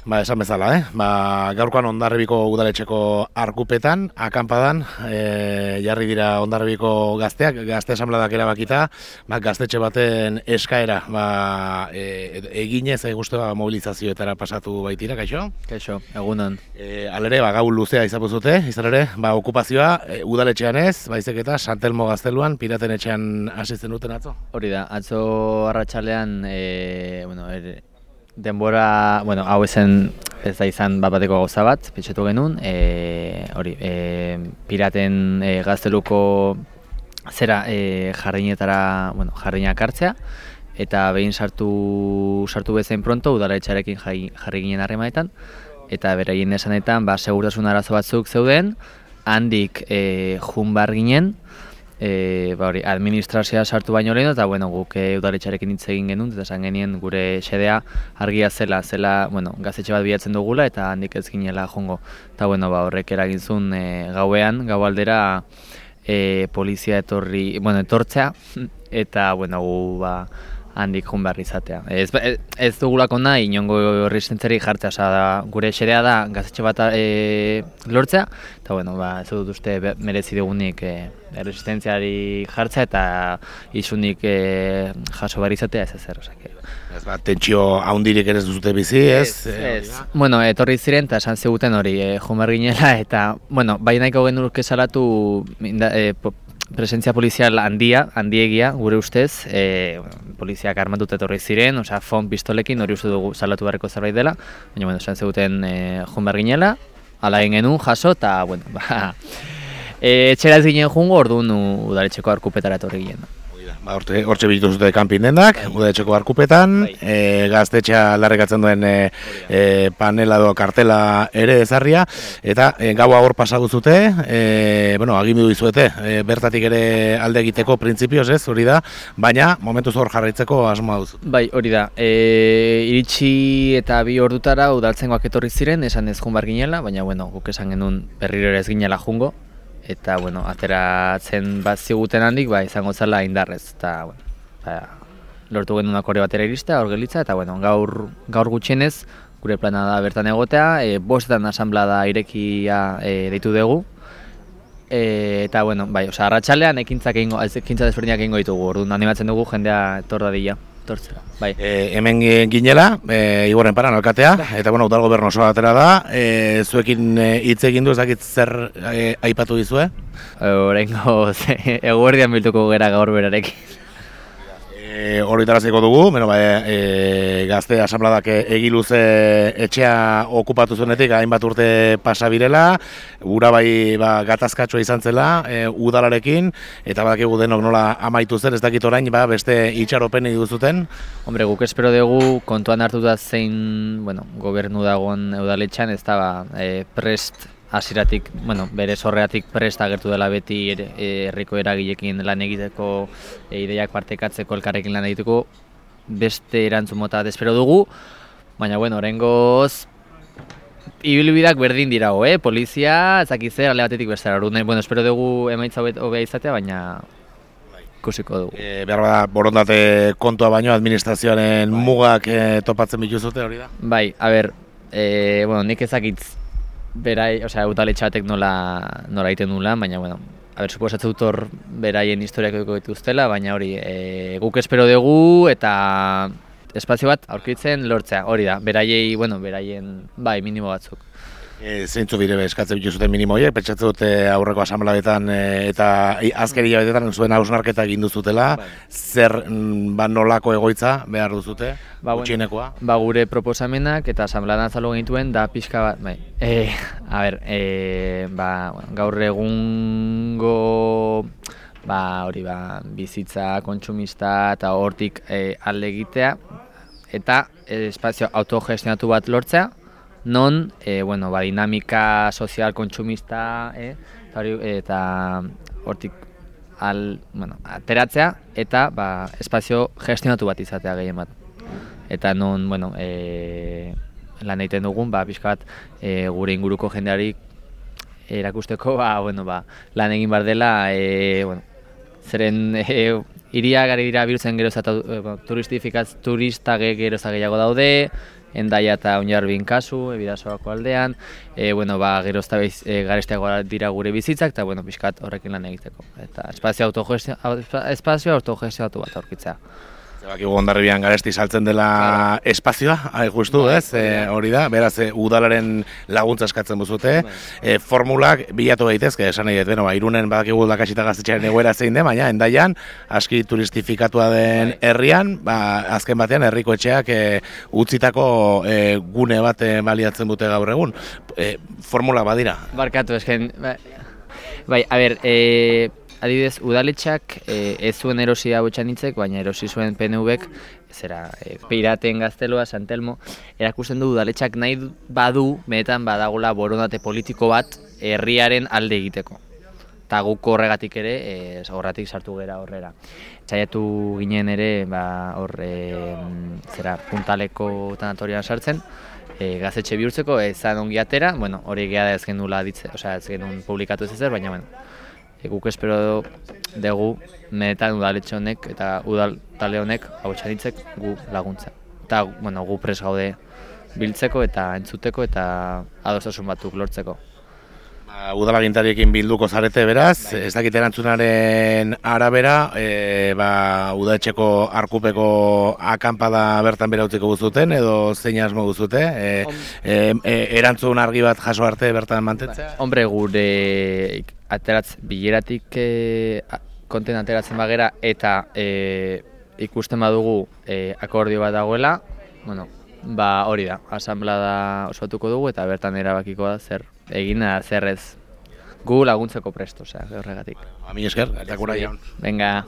Esan bezala, gaurkoan Hondarribiko udaletxeko arkupetan, akanpadan, jarri dira Hondarribiko gazteak, gazte asanbladak erabakita, gaztetxe baten eskaera, eginez, mobilizazioetara pasatu baitira, kaixo? Kaixo, egunon. Alere, gau luzea izapuzute, izan ere, okupazioa udaletxean ez, baizik eta Santelmo gazteluan, piraten etxean asitzen duten atzo? Hori da, atzo arratsalean, denbora, hau ezen ez da izan bateko gauza bat, pentsetu genuen, piraten gazteluko zera jarriñak hartzea, eta behin sartu bezain pronto, udaletxearekin jarri ginen harremanetan, eta beraien esanetan, segurtasun arazo batzuk zeuden, handik jun behar ginen, administrazioa sartu baino lehen, eta guk udaletxearekin hitz egin genuen, eta esan genien gure xedea argia zela, gaztetxe bat bilatzen dugula, eta handik ez ginela jongo. Eta horrek eragin zuen gauean, gau aldera polizia etortzea, eta gu handik jun behar izatea. Ez dugulako nahi inongo resistentzari jartzea, gure xedea da gaztetxe bat lortzea, eta ez dut uste merezi dugunik resistentziari jartzea eta isunik jaso behar izatea ez ezer. Tentsio haundirik ere ez duzute bizi, ez? Etorri ziren eta esan ziguten hori, jun behar ginela, eta bai nahiko genurke salatu presentzia polizial handiegia, gure ustez, poliziak armatuta etorri ziren, fon pistolekin hori uste dugu salatu beharreko zerbait dela, baina, esan zeguten jun behar ginela, ala egin genuen, jaso, eta, etxera ez ginen jungo, orduan udaletxeko arkupetara etorri ginen. Hortxe bizitu zute kanpin dendak, udaletxeko arkupetan, gaztetxea larrekatzen duen panela edo kartela ere ezarria, eta gaua hor pasagu zute, agindu dizuete, bertatik ere alde egiteko printzipioz ez, hori da, baina momentuz hor jarraitzeko asmoa duzu. Bai, hori da, iritsi eta 2 ordutara udaltzengoak etorri ziren, esan ez jun behar ginela, baina guk esan genuen berriro ere ez ginela jungo, eta, ateratzen bat ziguten handik, izango zela indarrez, eta, lortu genuen akorde batera iristea, hor gelitza, eta, gaur gutxienez, gure plana da bertan egotea, 5 asanblada irekia deitu dugu, eta, arratsalean ekintza desberdinak egingo ditugu, orduan animatzen dugu jendea etor dadila. Hemen ginela, Igorren Paran alkatea, eta udal gobernu osoa atera da, zuekin hitz egin du, ez dakit zer aipatu dizue? Oraingo eguerdian biltuko gera gaur berarekin. Hori taraziko dugu, gazte asanbladak egiluze etxea okupatu zuenetik hainbat urte pasa birela, gura gatazkatxoa izan zela udalarekin, eta badakigu denok nola amaitu zen, ez dakit orain beste itxaropeni duzuten. Guk espero dugu kontuan hartuta zein gobernu dagoen udaletxean, ez da prest hasiratik, bere sorreatik prest agertu dela beti herriko eragileekin lan egiteko, ideiak partekatzeko, elkarrekin lan egiteko, beste erantzun mota espero dugu, baina oraingoz ibilbideak berdin dirago, polizia, ezakit zer, alde batetik bestera, espero dugu emaitza hobea izatea, baina ikusiko dugu. Behar borondate kontua baino administrazioaren mugak topatzen bituzute hori da? Bai, nik ezakitz udaletxeatek nola egiten nula, baina, suposatzen dut hor beraien historiak dituztela, baina hori, guk espero dugu eta espazio bat aurkitzen lortzea, hori da, beraien, minimo batzuk. Zeintzu bire eskatzen bituzuten minimo horiek, pentsatzen dute aurreko asanbladetan eta azkeri jabetetan zuen hausnarketa egin duzutela, zer nolako egoitza behar duzute, gutxienekoa? Gure proposamenak eta asanbladan azaldu genituen da pixka bat, gaur egungo bizitza kontsumista eta hortik alde egitea, eta espazio autogestionatu bat lortzea, non, dinamika sozial kontsumista eta hortik ateratzea eta espazio gestionatu bat izatea gehien bat. Eta non, lan egiten dugun, pixka bat gure inguruko jendeari erakusteko, lan egin behar dela, zeren hiria gari dira bihurtzen geroz eta turistak geroz gehiago daude, Endaia eta Oinarbin kasu, Bidasoako aldean, gero garestiagoa dira gure bizitzak, eta pixkat horrekin lan egiteko. Eta espazio autogestioatu bat aurkitzea. Zabakigu Hondarribian Garesti saltzen dela espazioa, justu, ez? Hori da, beraz, udalaren laguntza eskatzen buzute. Formulak bilatu daitezke, esan nahi dut, Irunen badakigu Lakasita gaztetxearen egoera zein den, baina Endaian, aski turistifikatua den herrian, azken batean herriko etxeak utzitako gune bat baliatzen dute gaur egun. Formulak badira. Barkatu, esken... Adibidez, udaletxak ez zuen erosi hau etxanitzek, baina erosi zuen PNV-ek, Piraten Gaztelua, San Telmo, erakusten du udaletxak nahi badu, benetan badagola borondate politiko bat herriaren alde egiteko. Eta guk horregatik ere, horregatik sartu gera horrera. Saiatu ginen ere, Puntaleko tanatorian sartzen, gaztetxe bihurtzeko, ezan ongi atera, hori egia da ez genuen publikatu ez ezer, baina guk espero dugu benetan udaletxe honek eta udal talde honek hau txanitzek gu laguntza. Eta gu pres gaude biltzeko eta entzuteko eta adostasun batzuk lortzeko. Udalagintariekin bilduko zarete beraz, ez dakit erantzunaren arabera, udaletxeko arkupeko akanpada bertan bera utziko guztuten edo zein asmo guztute, erantzun argi bat jaso arte bertan mantentzea? Hombre, gure bileratik konten ateratzen bagera eta ikusten badugu akordio bat dagoela, hori da, asanblada osatuko dugu eta bertan erabakiko da zer egin zer ez. Gu laguntzeko presto, horregatik. Mila esker, eta gura jaun. Venga.